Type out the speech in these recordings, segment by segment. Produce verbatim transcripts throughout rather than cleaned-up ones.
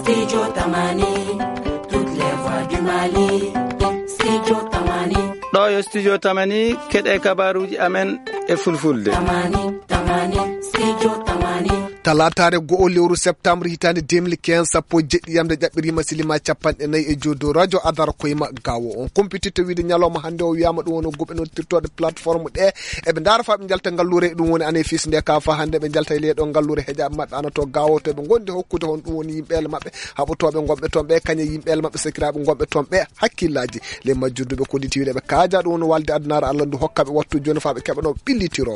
Studio Tamani, toutes les voix du Mali. Studio Tamani. Ɗo yo Studio Tamani, keɗe kabaruuji amen e fulfulde. Tamani, Tamani, Studio Tamani. Talaataare go'o lewru septembre hitaande deux mille quinze, sappo e jeɗɗi yamde ƴaɓɓiriima silima capanɗe nayi e joy dow radio Adar koyma gawo on. Kumpititte wiide ñalawma hannde o wiyaama ɗum woni guɓe noddirtooɗe plateforme ɗe. Eɓe ndaara faa ɓe njalta ngalluure, ɗum woni anefis nde ka faa hannde ɓe njalta e leeɗo ngalluure heƴaaɓe maɓɓe ana to gawo to ɓe ngondi hokkude hon ɗum woni yimɓeele maɓɓe haɓotooɓe ngonɓe toon ɓe, kañe yimɓeele maɓɓe sakiraaɓe ngonɓe toon ɓe hakkillaaji. Le majjudduɓe kollitiiɗe ɓe kaaja ɗum woni walde addunaare Allah ndu hokka ɓe wattu jooni faa ɓe keɓa ɗo ɓillitiro.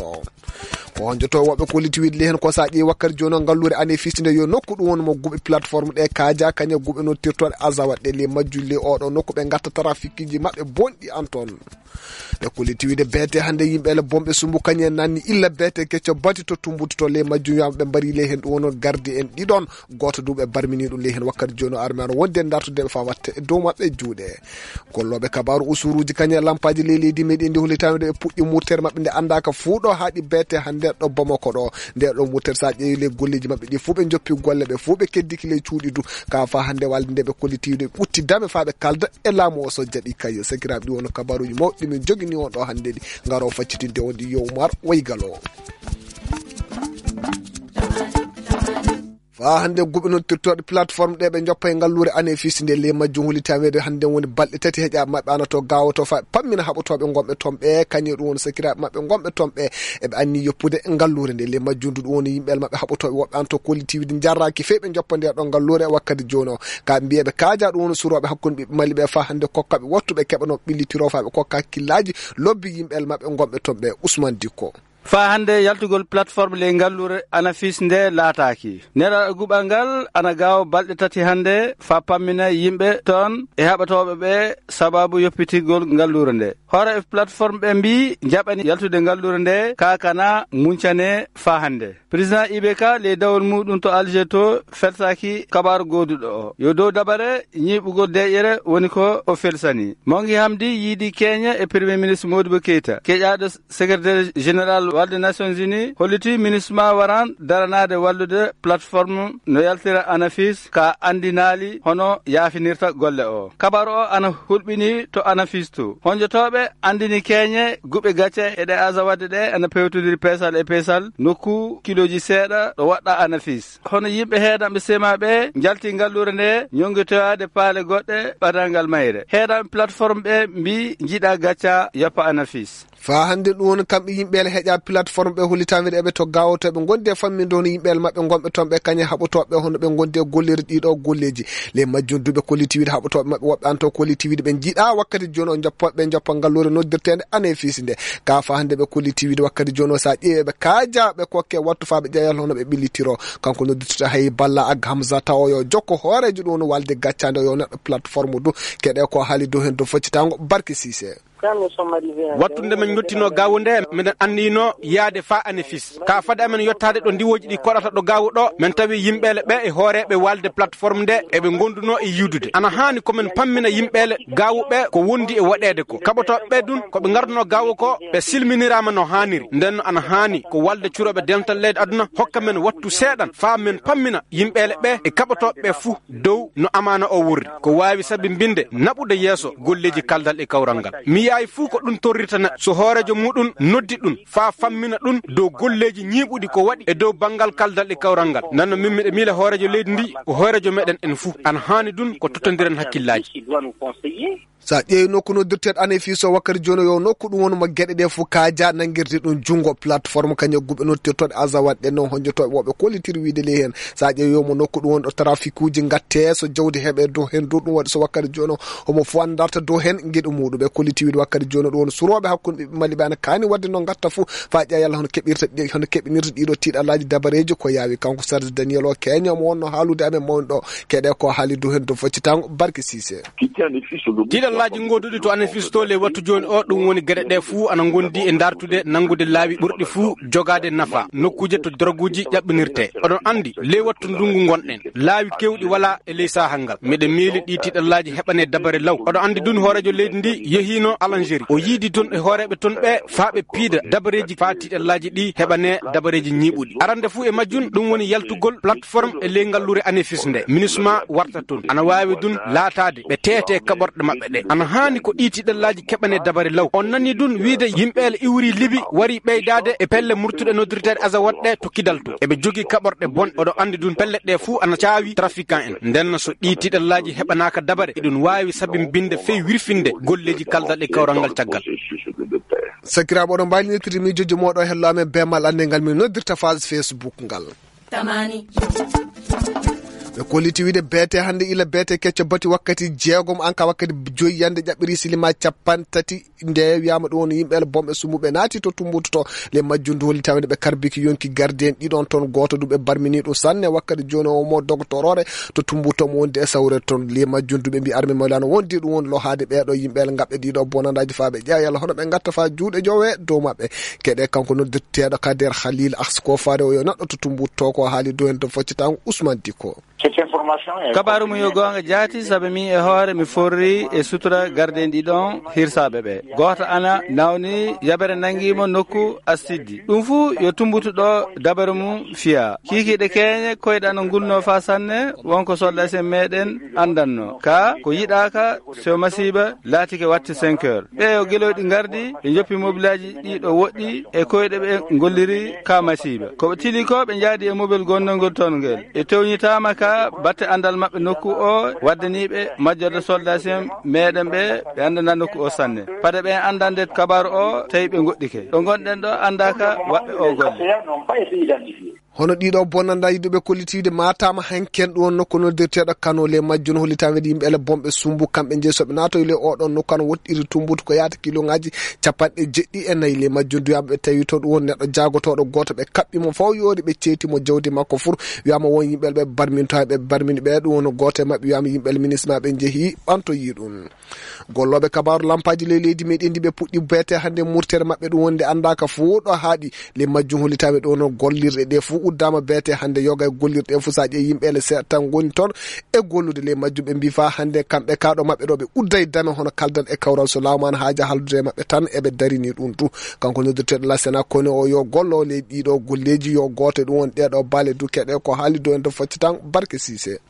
Ko honjoto woɓɓe kollitiiɗe le heen ko so a ƴeewi wakkati jooni o ngalluure anefis nde yo nokku ɗum woni mo guɓe plateforme ɗe kaaja kañe guɓe nottirtooɗe azawat ɗe le majjulli oɗo nokku ɓe ngatta trafikiji maɓɓe bonɗi an toon. Ɓe kolliti wiide beete hannde yimɓe ele bomɓe sumbu kañum en nanni illa beete kecco bati to tumbutu to ley majjum wiyaama ɓe mbari ley heen ɗum wonno gardi en ɗiɗon, gooto du ɓe barmini ɗum ley heen wakkati jooni o arme ano wonde dartude ɓe faa watte e dow maɓɓe juuɗe. Gollooɓe kabaaru usuruuji kañum e lampaaji ley leydi meɗen ndi hollitaano nde ɓe puɗɗi murtere maɓɓe nde anndaaka fuu ɗo haaɗi beete hannde ɗo Bamako ɗo. Nde ɗo murtere so a ƴeewi ley golleeji maɓɓe ɗi fuu ɓe njoppi golle ɓe fuu ɓe keddiki ley cuuɗi du. Ka faa hannde walde nde ɓe kolliti wiide ɓe ɓutti dame faa ɓe kalda e laamu o so jaɓi kay. Sakiraaɓe ɗi wonno kabaaruuji mawɗi min jogini on ɗo hannde ɗi ngaro faccitinde on ɗi yo Umar Waygal o. Faa hannde guɓe noddirtooɗe plateforme ɗe ɓe njoppa e ngalluure anefis nde ley majjum holi taweede hannde woni balɗe tati heƴa maɓɓe ana to gawoto faa pammina haɓotooɓe ngonɓe toon ɓe kañum ɗum woni sakiraaɓe maɓɓe ngonɓe toon ɓe eɓe anni yoppude ngalluure nde ley majjum du ɗum woni yimɓe maɓɓe haɓotooɓe woɓɓe an to kollitiiwde jarraaki fey ɓe njoppa nde ɗo ngalluure e wakkati jooni o. Ka mbiyeɓe kaaja ɗum woni surooɓe hakkunde ɓiɓɓe Mali ɓe faa hannde kokkaɓe wattuɓe keɓano ɓillitiro faa ɓe kokka hakkillaaji lobbi yimɓe maɓɓe ngonɓe toon ɓe. Ousmane Dikko. Faa hannde yaltugol plateforme ley ngalluure anafis nde laataaki. Nelal guɓal ngal ana gaawo balɗe tati hannde faa pammina yimɓe toon e haɓatooɓe ɓe sababu yoppitigol ngalluure nde. Hoore plateforme ɓe mbii njaɓani yaltude ngalluure nde kaakana muncane faa hannde. Président I B K ley dawol muuɗum to Alger to feltaaki kabaaru gooduɗo o. Yo dow dabare ñiiɓugol deeƴere woni ko o felsani. Mongi Hamdi yiidi keeña e Premier Ministre Modibo Keita. Keƴaaɗo Secrétaire Général Walde Nations Unies holliti MINUSMA waran daranaade wallude plateforme no yaltira anafis ka anndinaali hono yaafinirta golle o. Kabaaru o ana hulɓini to anafis to. Honjotooɓe anndini keeñe guɓe gacce e ɗe aza wadde ɗe ana pewtodiri peesal e peesal nokku kilooji seeɗa ɗo waɗɗa anafis. Hono yimɓe heedanɓe sema ɓe njalti ngalluure nde ñonngitoyaade paale goɗɗe ɓadal ngal mayre. Heedanɓe plateforme ɓe mbii njiɗa gacca yoppa anafis. Faa hannde ɗum woni kamɓe yimɓe ele heƴa plateforme ɓe hollitaade eɓe to gawoto eɓe ngondi e famminde hono yimɓe ele maɓɓe ngonɓe toon ɓe kañe haɓotooɓe hono ɓe ngondi e golleeri ɗiɗo golleeji. Ley majjum du ɓe kolliti wiide haɓotooɓe maɓɓe woɓɓe an to kolliti wiide ɓe njiɗa wakkati jooni o njoppa ɓe njoppa ngalluure noddirteende anefis nde. Ka faa hannde ɓe kolliti wiide wakkati jooni o so a ƴeewi ɓe kaaja ɓe kokke wattu faa ɓe ƴeewa hono ɓe ɓillitiro. Kanko noddirtata hay Balla Ag Hamza tawa yo jokko hooreejo ɗum woni walde gaccaande o yo neɗɗo plateforme du keɗe ko haali dow heen dow faccitaango Barke Sise. Wattunde men njottino gawu nde, meɗen anniyno yaade faa anefis. Ka fade amen yottaade ɗo ndiwooji ɗi koɗata ɗo gawu ɗo, men tawi yimɓeele ɓe e hooreeɓe walde plateforme nde eɓe ngonduno e yiwdude. Ana haani ko men pammina yimɓeele gawu ɓe ko wondi e waɗeede ko. Kaɓotooɓe ɓe dun ko ɓe ngarduno gawu ko ɓe silminiraama no haaniri. Nden no ana haani ko walde curoɓe dental leydi aduna hokka men wattu seeɗan faa men pammina yimɓeele ɓe e kaɓotooɓe ɓe fuu. Dow no amaana o wurri, ko waawi sabinbinde naɓude yeeso golleeji kaldal e kawral ngal. Mi yi'aay fuu ko ɗum torrirta neɗɗo so hooreejo muuɗum noddi ɗum faa fammina ɗum dow golleeji ñiiɓuɗi ko waɗi e dow banngal kaldal e kawral ngal. Nden no min miɗo miila hooreejo leydi ndi ko hooreejo meɗen en fuu. Ana haani ɗum ko tottondiren hakkillaaji. So a ƴeewi nokku noddirteeɗo anefis o wakkati jooni o yo nokku ɗum woni mo geɗe ɗe fof kaaja nanngirde ɗum junngo plateforme kañum guɓe noddirtooɗe azawat ɗe noon honjotooɓe woɓɓe kollitiri wiide ley heen. So a ƴeewi yo mo nokku ɗum woni ɗo trafikuuji ngatte so jawdi heɓe dow heen dow ɗum waɗi so wakkati jooni o homo fof darta dow heen geɗe muuɗum ɓe kolliti wiide wakkati jooni o ɗum woni surooɓe hakkunde ɓiɓɓe Mali ɓe ana kaani waɗde noon ngatta fof faa ƴeewa yalla hono keɓirta ɗi hono keɓinirta ɗiɗo tiiɗallaaji dabareeji ko yaawi kanko Serge Daniel o keeño mo wonno haalude amen mawni ɗo keɗe ko haali dow heen dow faccitaango Barke Sise. Tiiɗallaaji ngoduɗi to anafis to ley wattu jooni o ɗum woni geɗe ɗe fuu ana ngondi e dartude nanngude laawi ɓurɗi fuu jogaade nafa nokkuuje to droguuji ƴaɓɓinirte. Oɗon anndi ley wattu ndungu ngonɗen laawi kewɗi wala e ley saahal ngal. Miɗo miili ɗi tiiɗallaaji heɓane dabare law. Oɗon anndi ɗum hooreejo leydi ndi yehiino Algérie. O yiidi toon e hooreeɓe toon ɓe faa ɓe piida dabareeji faa tiiɗallaaji ɗi heɓanee dabareeji ñiiɓuɗi. Arande fuu e majjum, ɗum woni yaltugol plateforme e ley ngalluure ANEFIS nde. MINUSMA warta toon. Ana waawi ɗum laataade ɓe teetee kaɓorɗe maɓɓe ɗe. Ana haani ko ɗii tiiɗallaaji keɓanee dabare law. On nanii ɗum wiide yimɓe le iwri Libi wari ɓeydaade e pelle murtuɗe noddirteeɗe Azawad ɗe to Kidal to. Eɓe jogii kaɓorɗe bonɗe. Oɗo anndi ɗum pelle ɗe fuu ana caawi trafiquant en. Nden so ɗii tiiɗallaaji heɓanaaka dabare, eɗum waawi sabimbinde fey wirfinde golleeji kaldal e kawral ngal caggal. Sakiraaɓe, oɗon mbaawi noddirde miijooji mooɗon hello amen bee mal annde ngal min noddirta page Facebook ngal. Tamani. Ɓe kolliti wiide beete hannde ila beete kecco bati wakkati jeegom, an ka wakkati joyi yande ƴaɓɓiri silima cappanɗe tati. Nde wiyaama ɗum woni yimɓe ele bomɓe sumbuɓe naati to Tumbutu to, le majjum ndu holli tawde ɓe karbiki yonki gardien ɗiɗon toon, gooto ɗum ɓe barmini ɗum sanne wakkati jooni o mo dogotoroore to Tumbutu mo wondi e sawre toon. Le majjum ndu ɓe mbi arme mawlano wondi ɗum woni lohaade ɓeeɗo yimɓe ele ngaɓɓe ɗiɗo bonandaaji faa ɓe ƴeewa yalla hono ɓe ngatta faa juuɗe jowe dow maɓɓe. Keɗe kanko noddirteeɗo Kader Khalil Asko faade o yo neɗɗo to Tumbutu to ko haali dow heen to foccitango Ousmane Diko. Kabaaru mum yo goonga jaati, sabe min e hoore mi forri e sutura gardiyen ɗiɗon hirsaaɓe ɓe. Gooto ana nawni, yabere nanngi mo nokku assiddi. Ɗum fuu yo Tumbutu ɗo dabare mum fiya. Kiikiiɗe keeñe koyɗe ana ngulno faa sanne, wonko soldat sen meɗen anndanno. Ka ko yiɗaaka, so masiiba laatike watte cinq heures. Ɓe yo gelooɗi ngardi, ɓe njoppi mobilaaji ɗi ɗo woɗɗi e koyɗe ɓe ngolliri ka masiiba. Ko ɓe tili ko ɓe njaadi e mobel gonnol ngol toon ngel. Ɓe tewñitaama ka batte anndal maɓɓe nokku o, waddani ɓe majjorde soldat en meɗen ɓe, ɓe anndana nokku o sanne. Pade ɓe anndande kabaaru o, tawi ɓe ngoɗɗike. Ɗo ngonɗen ɗo anndaaka waɗɓe o golle. Hono ɗiɗo bonnanda yidduɓe kollitiiwde maataama hanken ɗum won nokku noddirteeɗo Kano le majjum hollitaama wiide yimɓe ele bomɓe sumbu kamɓe jeyi soɓe naatoyi le oɗon nokku an woɗɗiri Tumbutu ko yaata kiloŋaaji capanɗe jeɗɗi e nayi le majjum duyaama ɓe tawi to ɗum won neɗɗo jaagotooɗo gooto ɓe kaɓɓi mo faw yoori ɓe ceeti mo jawdi makko fur wiyaama won yimɓe ɓe barminto hay ɓe barmini ɓe ɗum won gooto e maɓɓe wiyaama yimɓe ele minisma ɓe njehi ɓantoyi ɗum. Gollooɓe kabaaru lampaaji ley leydi meɗen ndi ɓe puɗɗi beete hannde murtere maɓɓe ɗum wonde anndaaka fof ɗo haaɗi le majjum hollitaɓe ɗo no gollirɗe ɗe fof uddaama beete hannde yoga e gollirɗe ɗe fof so a ƴeewi yimɓe ele seeɗa tan ngoni toon e gollude le majjum ɓe mbi faa hannde kamɓe kaaɗo maɓɓe ɗo ɓe udday dame hono kaldal e kawral so laamu an haaja haaldude e maɓɓe tan eɓe darini ɗum tu kanko noddirteeɗo la sena kone o yo gollo le ɗiɗo golleeji yo gooto e ɗum won ɗeɗo baale dukeɗe ko haali do en to focci tan barke sise.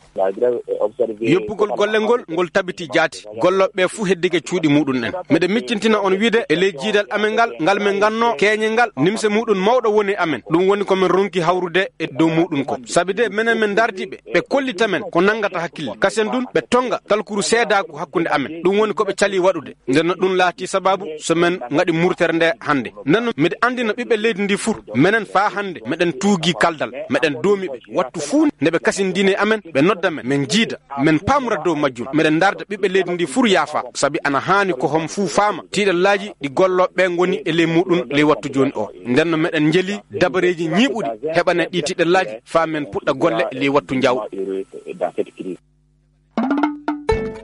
Yoppugol golle ngol ngol tabiti jaati. Gollooɓe ɓe fuu heddike cuuɗi muɗum en. Miɗo miccintina on wiide e ley jiidal amen ngal ngal min nganno keeñe ngal nimse muɗum mawɗo woni e amen. Ɗum woni ko min ronki hawrude e dow muɗum ko sabi de menen min ndardi ɓe ɓe kollita men ko nanngata hakkille kasen ɗum ɓe tonnga talkuru seedaaku hakkunde amen. Ɗum woni ko ɓe cali waɗude. Nden no ɗum laati sababu so men ngaɗi murtere nde hannde. Nden no miɗo anndina ɓiɓɓe leydi ndi fur menen faa hannde meɗen tuugi kaldal meɗen doomi ɓe wattu fuu nde ɓe kasindini e amen ɓe nodda men min njiida min paamra dow majjum. Meɗen ndarda ɓiɓɓe leydi ndi fur yaafa sabi ana haani ko hom fuu faama tiiɗallaaji ɗi gollooɓe ɓe ngoni e ley muɗum ley wattu jooni o. Nden no meɗen njeli dabareeji ñiiɓuɗi heɓane ɗi tiiɗallaaji faa men puɗɗa golle ley wattu njaw.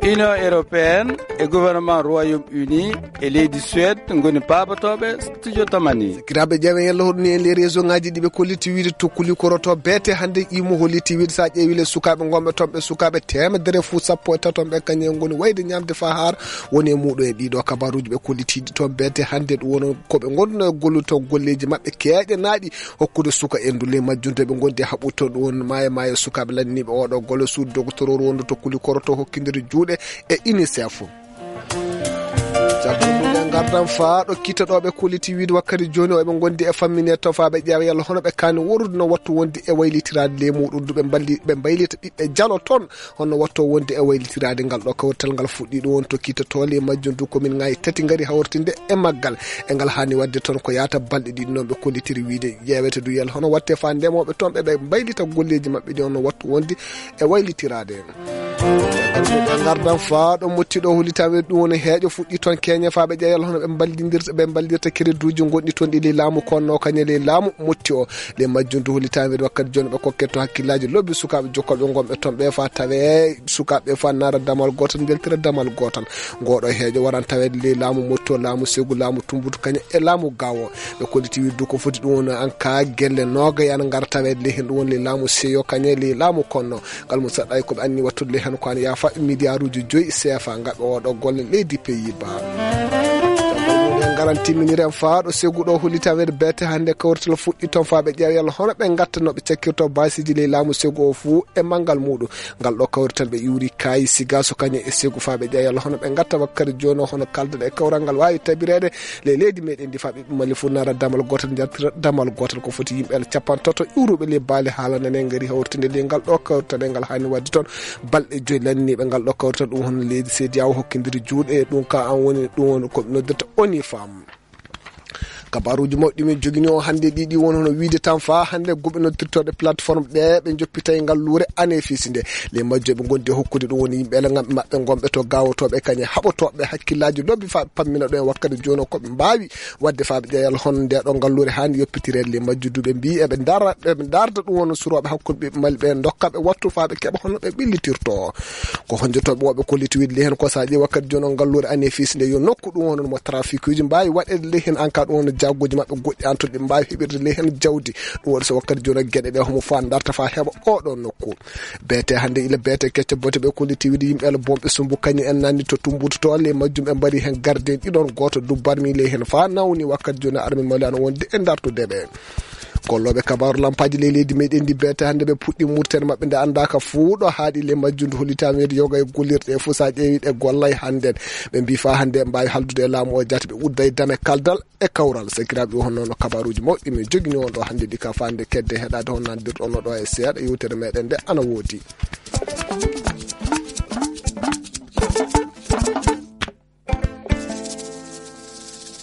Union européenne e gouvernement Royaume Uni e leydi Suède ngoni paabotooɓe studio Tamani. Kiraaɓe ƴeewen yalla hoɗum ni e les réseau ngaji ɗi ɓe kolliti wiide tokkuli koroto beete hannde imo holliti wiide so a ƴeewi le sukaaɓe ngonɓe toon ɓe sukaaɓe teemedere fuu sappo e taton ɓe kañum en ngoni wayde ñaamde faa haara woni e muuɗum e ɗiɗo kabaruuji ɓe kollitiiɗi toon beete hannde ɗum wono ko ɓe ngonno e gollude toon golleeji maɓɓe keeƴanaaɗi hokkude suka endu ley majjum to ɓe ngondi e haɓɓude toon ɗum woni maayo maayo sukaaɓe lanndiniiɓe oɗo golle suudu dogotororu wondu to kuli koroto hokkindiri juuɗe e unicef. Jagguɗe ngardan faa ɗo kitta ɗo ɓe kolliti wiide wakkati jooni o eɓe ngondi e fammine to faa ɓe ƴeewa yalla hono ɓe kaani worude no wattu wondi e waylitiraade ley muɗum du ɓe mballi ɓe mbaylita ɓiɓɓe jalo toon honno watto wonde e waylitiraade ngal ɗo kawrital ngal fuɗɗi ɗum won tokki to toole e majjum du komin ngayi tati ngari hawrtinde e maggal e ngal haani waɗde toon ko yaata balɗe ɗiɗi noon ɓe kollitiri wiide ƴeewete du yel hono watte faa ndemooɓe toon ɓe ɓe mbaylita golleeji maɓɓe ɗi honno wattu wonde e waylitiraade. Ɓe ngardan faa ɗo motti ɗo hollitaɓe ɗum woni heeƴo fuɗɗi toon keñe faa ɓe ƴeewal hono ɓe mballidindirta ɓe mballirta crédit uji gonɗi toon ɗi ley laamu konno kañe ley laamu motti o. Ley majjum du hollitaɓe wakkati jooni ɓe kokke to hakkillaaji lobbi sukaaɓe jokkooɓe ngonɓe toon ɓe faa tawe sukaaɓe faa naara damal gootal njaltira damal gootal. Ngooɗo heeƴo waran taweede ley laamu motti o laamu segu laamu tumbutu kañe e laamu gawo. Ɓe kolliti wiide du ko foti ɗum woni an ka gelle nooga yana ngara taweede ley heen ɗum woni ley laamu seyo kañe ley laamu konno. Ngal mum saɗɗa e ko ɓe anni wattude ley heen ko an yaafa miliyaaruuji joyi seefa ngaɓe oɗo golle leydi Pays-Bas. Aran timminiri en faa ɗo segu ɗo hollitaa weedu beete hannde kawrital fuɗɗi toon faa ɓe ƴeewa yalla hono ɓe ngatta no ɓe cakkirto baasiiji ley laamu segu o fuu e manngal muuɗum. Ngal ɗo kawrital ɓe iwri kaayi siga so kañum e segu faa ɓe ƴeewa yalla hono ɓe ngatta wakkati jooni o hono kalden e kawral ngal waawi tabireede ley leydi meɗen ndi faa ɓiɓɓe Mali fuu nara damal gootal njartira damal gootal ko foti yimɓe capantato iwruɓe ley baali haalana ne ngari hawrtinde ley ngal ɗo kawrital e ngal haani waɗde toon balɗe joyi lanniiɓe ngal ɗo kawrital ɗum hono leydi seedi yawo hokkindiri juuɗe ɗum ka an woni ɗum woni ko noddirta oni fam. Kabaruuji mawɗi min jogini o hannde ɗiɗi won hono wiide tan faa hannde goɓe noddirtooɗe plateforme ɗe ɓe joppitay ngalluure anefisi nde ley majjo ɓe ngondi e hokkude ɗum woni yimɓe ele maɓɓe ngonɓe to gawotooɓe kañe haɓotooɓe hakkillaaji lobbi faa ɓe pammina ɗo e wakkati jooni o ko ɓe mbaawi waɗde faa ɓe ƴeewa yalla hono nde ɗo ngalluure haani yoppitireede ley majjo duuɓe mbi eɓe ndara ɓe ndarda ɗum woni surooɓe hakkunde ɓiɓɓe Mali ɓe ndokka ɓe wattu faa ɓe keɓa hono ɓe ɓillitirto. Ko honjotooɓe woɓɓe kolliti wiide ley heen ko so a ƴeewi wakkati jooni o ngalluure anefisi nde yo nokku ɗum woni mo trafiqueuji mbaawi waɗeede ley heen en cas ɗum woni jagguuji maɓɓe goɗɗi an toon ɗi mbaawi heɓirde ley heen jawdi ɗum waɗi so wakkati jooni o geɗe ɗe homo faa darta faa heɓa oɗo nokku. Beete hannde ila beete kecce bote ɓe kolliti wiide yimɓe ala bonɓe sumbu kañum en nanni to tumbutu to ley majjum ɓe mbari heen gardien ɗiɗon gooto dubbarmi ley heen faa nawni wakkati jooni armi mali ana wonde e dartude ɓe. Gollooɓe kabaaru lampaaji ley leydi meɗen ndi beete hannde ɓe puɗɗi murtere maɓɓe nde anndaaka fuu ɗo haaɗi ley majjum ndu hollitaama weedu yoga e gollirɗe e fuu so a ƴeewi ɗe gollay hannden ɓe mbii faa hannde mbaawi haldude e laamu o jaati ɓe udda e dame kaldal e kawral sakiraaɓe honno no kabaaruuji mawɗi min jogini on ɗo hannde ɗi ka faande kedde heɗaade hon nandirɗo no ɗo e seeɗa yewtere meɗen nde ana woodi.